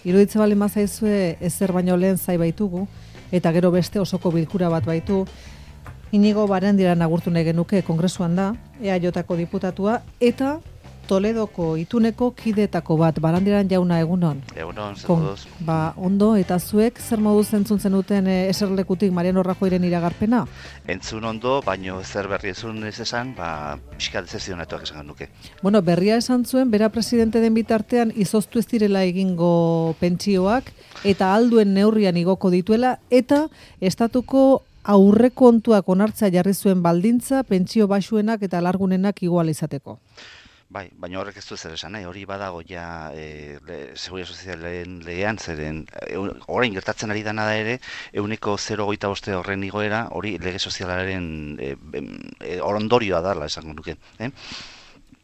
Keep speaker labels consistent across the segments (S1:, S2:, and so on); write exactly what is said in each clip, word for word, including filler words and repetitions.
S1: Iruditze bali mazaizue ezer baino lehen zai baitugu, eta gero beste osoko bilkura bat baitu. Inigo Barandiaran agurtu nahi genuke kongresuan da, E A Jko diputatua, eta Toledoko ituneko kidetako bat, Barandiaran jauna egunon.
S2: Egunon, zer moduz.
S1: Ba, ondo, eta zuek zer moduz entzun zenuten e, eserlekutik Mariano Rajoyren iragarpena?
S2: Entzun ondo, baino zer berri ezun ez esan, ba, pixka dezezionatuak esan nuke.
S1: Bueno, berria esan zuen, bera presidente den bitartean izoztu ez direla egingo pentsioak, eta alduen neurrian igoko dituela, eta estatuko aurrekontuak onartzea jarri zuen baldintza, pentsio baxuenak eta largunenak igual izateko.
S2: Bai, baina horrek ez du zer esan nahi, hori badago ja e, Seguridad Sozialen legean, zeren e, orain gertatzen ari dana da ere, euneko zero koma hogeita bost horren igoera, hori lege sozialaren e, e, orondorioa dela esango nuke. Eh?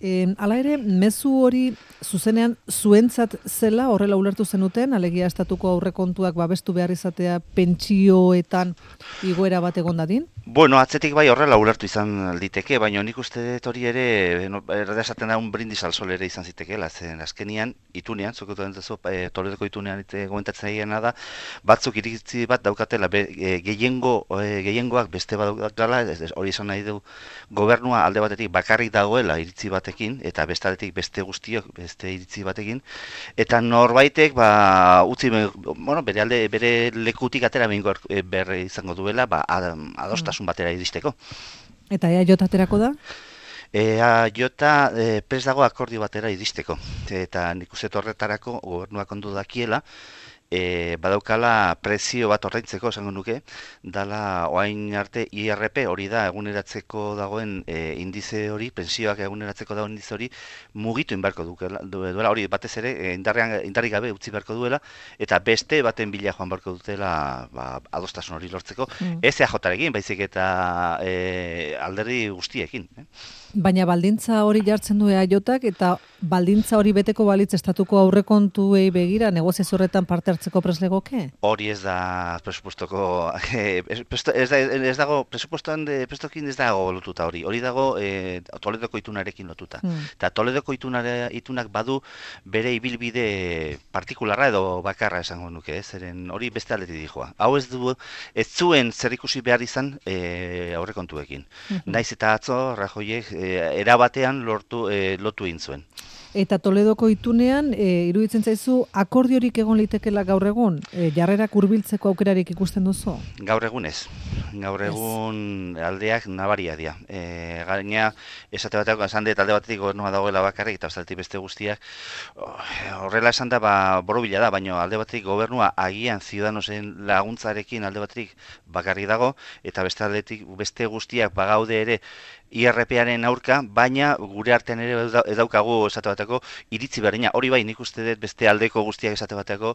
S1: E, hala ere, mezu hori zuzenean zuentzat zela horrela ulertu zenuten, alegia estatuko aurrekontuak babestu behar izatea pentsioetan igoera bat egon dadin?
S2: Bueno, atzetik bai horrela ulertu izan liteke, baina nik uste dut hori ere, no, erda esaten da un brindis al sol ere izan zitekeela, zen azkenian, itunean, zuko duentezu, e, Toledoko itunean ite, gomentatzen egena da, batzuk iritzi bat daukatela, be, e, gehiengo, e, gehiengoak beste bat daukatela, hori esan nahi du, gobernua alde batetik bakarrik dagoela iritzi batekin, eta beste aldetik beste guztiok beste iritzi batekin, eta norbaitek, ba, utzi, bueno, bere alde, bere lekutik atera behingo berre izango duela, ba, adostasun batera iristeko.
S1: Eta E A J aterako da?
S2: E A J e, prest dago akordio batera iristeko. Eta nik uste horretarako gobernuak ondo dakiela, e, badaukala prezio bat ordaintzeko esango nuke, dala orain arte I R P hori da eguneratzeko dagoen e, indize hori, pensioak eguneratzeko dagoen indize hori mugitu inbarko duela, hori batez ere e, indarrean, indarrik gabe utzi beharko duela, eta beste baten bila joan beharko dutela ba, adostasun hori lortzeko, mm. ez E A Jarekin, baizik eta e, alderdi guztiekin. Eh?
S1: Baina baldintza hori jartzen du E A Jak, eta baldintza hori beteko balitz estatuko aurrekontuei begira negoziazio horretan parte hartzeko preslegoke?
S2: Hori ez da presupuestoko, ez, da, ez dago, presupuestoan de, prestokin ez dago lotuta hori, hori dago e, Toledoko itunarekin lotuta. Hmm. Eta Toledoko itunare, itunak badu bere ibilbide partikularra edo bakarra esango nuke, ez? Zeren hori beste aldetik dijoa. Hau ez du, ez zuen zerikusi behar izan e, aurrekontuekin. Hmm. Naiz eta atzo, Rajoyek, e, erabatean lortu, e, lotu egin zuen.
S1: Eta Toledoko itunean, e, iruditzen zaizu, akordiorik egon litekela gaur egun? E, jarrerak hurbiltzeko aukerarik ikusten duzu? Gaur
S2: egun ez. Gaur egun aldeak nabaria dira. E, gaina, esate bateak, esan dut alde batetik gobernua dagoela bakarrik, eta ostaltik beste guztiak, horrela esan da, ba, borobila da, baina alde batetik gobernua agian Ciudadanosen laguntzarekin alde batetik bakarrik dago, eta beste aldetik beste guztiak bagaude ere I R P-aren aurka, baina gure artean ere edaukagu esate bateko iritzi berdina. Hori bai, nik uste dut beste aldeko guztiak esate bateko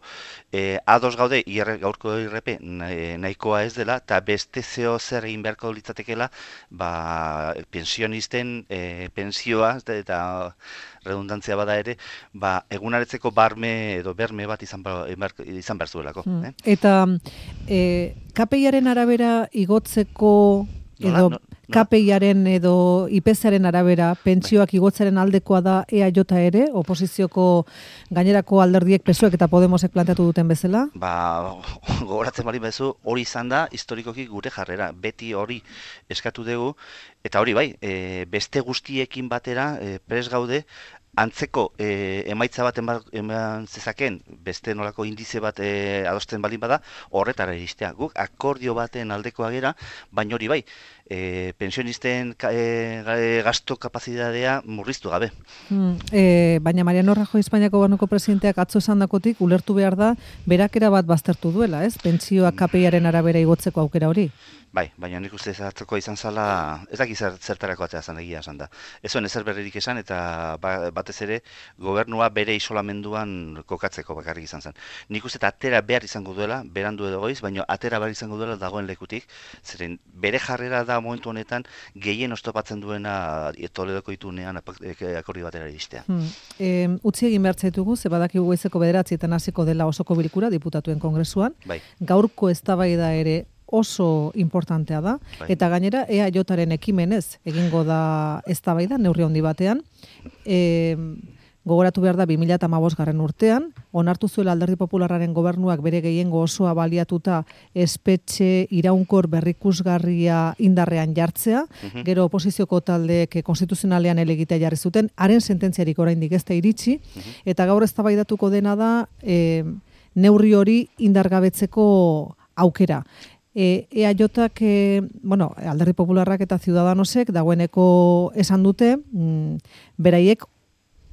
S2: eh, ados gaude I R, gaurko I R P nahikoa ez dela, eta beste zeo zer egin beharko litzatekela, ba, pensionisten eh, pensioa eta redundantzia bada ere, ba, egunaretzeko barme edo berme bat izan, izan behar zuelako. Hmm. Eh?
S1: Eta eh, K P I-aren arabera igotzeko edo... No, no. K P I-aren edo I P C-aren arabera pentsioak igotzaren aldekoa da E A J ere, oposizioko gainerako alderdiek P S O E k eta Podemosek planteatu duten bezala?
S2: Ba, gogoratzen bali bezu, hori izan da historikoki gure jarrera, beti hori eskatu dugu, eta hori bai, e, beste guztiekin batera e, pres gaude, antzeko e, emaitza bat eman zezaken, beste nolako indize bat e, adosten baldin bada, horretara iristea. Guk akordio baten aldekoa gera, baina hori bai, e, pensionisten e, gasto kapazitatea murriztu gabe.
S1: Hmm, e, baina Mariano Rajoy Espainiako Gobernuko presidenteak atzo esandakotik ulertu behar da, berakera bat baztertu duela, ez? Pentsioak K P I-aren arabera igotzeko aukera hori.
S2: Bai, baina nik uste atzoko izan zala, ez daki zer, zertarako atzea zan egia esan da. Ez zuen ezer berririk esan eta batez ere gobernua bere isolamenduan kokatzeko bakarrik izan zen. Nik uste atera behar izango duela, berandu edo goiz, baina atera behar izango duela dagoen lekutik, zeren bere jarrera da momentu honetan gehien oztopatzen duena Toledoko itunean akordio batera iristea.
S1: Hmm. E, utzi egin behar zaitugu, ze badakigu goizeko bederatzietan hasiko dela osoko bilkura diputatuen kongresuan, bai. Gaurko eztabaida ere oso importantea da, bai. Eta gainera E A Jaren ekimenez egingo da eztabaida neurri handi batean. E, gogoratu behar da bi mila hamabostgarrena urtean, onartu zuela Alderdi Popularraren gobernuak bere gehiengo osoa baliatuta espetxe iraunkor berrikusgarria indarrean jartzea, uh-huh. gero oposizioko taldeek konstituzionalean elegitea jarri zuten, haren sententziarik oraindik ez da iritsi, uh-huh. eta gaur eztabaidatuko dena da e, neurri hori indargabetzeko aukera. E, EAJak, e, bueno, Alderdi Popularrak eta Ciudadanosek dagoeneko esan dute, mm, beraiek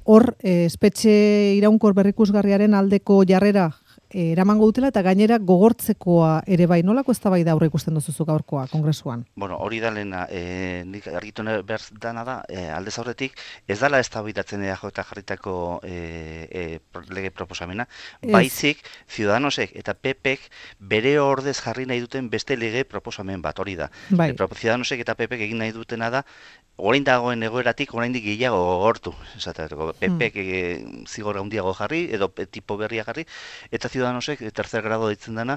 S1: hor e, espetxe iraunkor berrikusgarriaren aldeko jarrera e, eramango dutela eta gainera gogortzekoa ere bai. Nolako eztabaida aurre ikusten duzu gaurkoa kongresuan?
S2: Bueno, hori da lehena, e, nik argitu behar dana da, e, aldez aurretik, ez dala eztabaidatzen E A J jarritako e, e, lege proposamena, ez. Baizik, Ciudadanosek eta P Pek bere ordez jarri nahi duten beste lege proposamen bat, hori da. Bai. E, Ciudadanosek eta P Pek egin nahi dutena da, orain dagoen egoeratik oraindik gehiago gogortu, esateko P Pek hmm. zigor handiago jarri edo tipo berria jarri eta Ciudadanosek tercer grado ditzen dana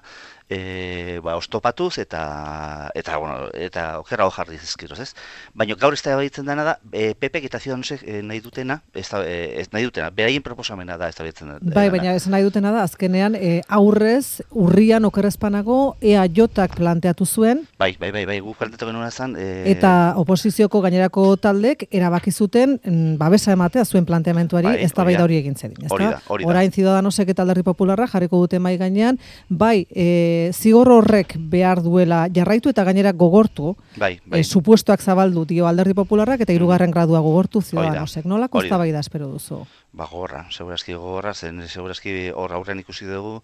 S2: e, ba, ostopatuz eta eta bueno, eta okerrago jarri dizkiroz, ez? Baina gaur ez da ditzen dana da e, P Pek eta Ciudadanosek e, nahi dutena, ez, da, e, ez nahi dutena, beraien proposamena da ez da ditzen dana.
S1: Bai, baina ez nahi dutena da azkenean e, aurrez urrian okerrezpanago EAJak planteatu zuen.
S2: Bai, bai, bai, bai, guk planteatu genuen zan e,
S1: eta oposizioko gainera taldek erabaki zuten mm, babesa ematea zuen planteamentuari bai, eztabaida hori egin zedin, ezta?
S2: Hori da, hori da.
S1: Orain Ciudadanosek eta Alderdi Popularra jarriko dute mai gainean, bai, e, zigor horrek behar duela jarraitu eta gainera gogortu,
S2: bai, bai.
S1: E, supuestoak zabaldu dio Alderdi Popularrak eta hirugarren gradua gogortu Ciudadanosek. Nolako eztabaida espero duzu?
S2: Ba, gogorra, segurazki gogorra, zen segurazki hor aurrean ikusi dugu,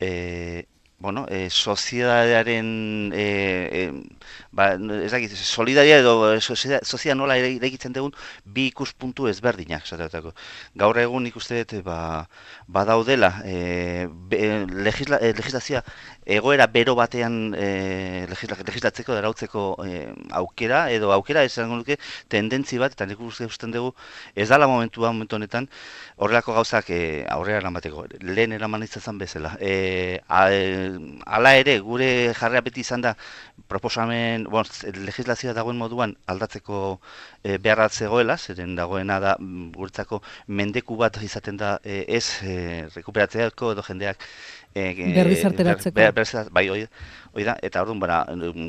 S2: eh bueno, eh, sozietatearen eh, eh, ba, ez dakit, solidaria edo sozia nola eraikitzen dugun bi ikuspuntu ezberdinak, esateko. Gaur egun ikuste dut ba, badaudela eh, be, legisla, eh, legislazioa egoera bero batean eh, legisla, legislatzeko darautzeko eh, aukera edo aukera esango nuke tendentzi bat, eta nik uste dugu ez dala momentua momentu honetan horrelako gauzak eh, aurrera eramateko. Lehen eraman izan bezala. Eh, a, Hala ere, gure jarrea beti izan da proposamen, bon, legislazioa dagoen moduan aldatzeko e, beharra zegoela, zeren dagoena da guretzako mendeku bat izaten da e, ez e, rekuperatzeako edo jendeak e,
S1: berrizarteratzeko.
S2: Ber, ber, ber, bai, hoi, hoi da, eta orduan, bara,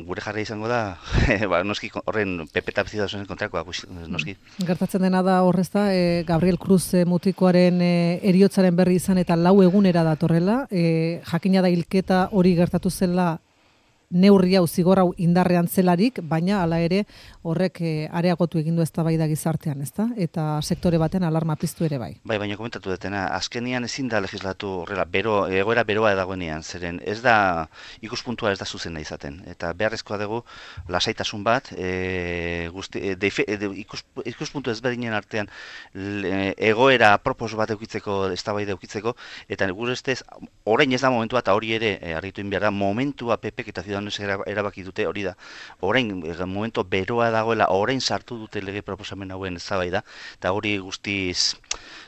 S2: gure jarrea izango da, ba, noski horren P P eta Ciudadanosen kontrakoa, noski.
S1: Gertatzen dena da horrez da, e, Gabriel Cruz e, mutikoaren e, eriotzaren berri izan eta lau egunera datorrela, e, jakina da hilketa hori gertatu zela neurri hau zigor hau indarrean zelarik, baina hala ere horrek e, areagotu egin du eztabaida gizartean, ezta? Eta sektore baten alarma piztu ere bai.
S2: Bai, baina komentatu dutena, azkenian ezin da legislatu horrela, bero, egoera beroa dagoenean, zeren ez da ikuspuntua ez da zuzena izaten, eta beharrezkoa dugu lasaitasun bat, e, guzti, e, de, de, ikus, ikuspuntu ezberdinen artean le, egoera apropos bat eukitzeko, eztabaida eukitzeko, eta gure ustez, orain ez da momentua, eta hori ere e, argitu behar da, momentua P Pek eta erabaki dute, hori da, orain momento beroa dagoela, orain sartu dute lege proposamen hauen eztabaida, eta hori guztiz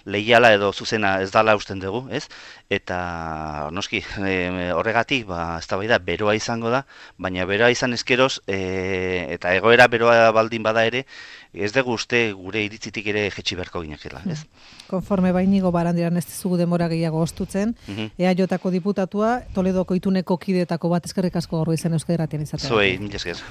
S2: leiala edo zuzena ez dala usten dugu, ez? Eta noski, e, horregatik, ba, eztabaida beroa izango da, baina beroa izan ezkeroz, e, eta egoera beroa baldin bada ere, ez dugu uste gure iritzitik ere jetxi beharko ginekela, ez?
S1: Konforme Bainigo Barandiaran ez dizugu demora gehiago ostutzen, uh-huh. EAJko diputatua, Toledoko ituneko kideetako bat eskerrik asko gaur izan Euskadi Irratian izatea.
S2: Zuei, mila esker.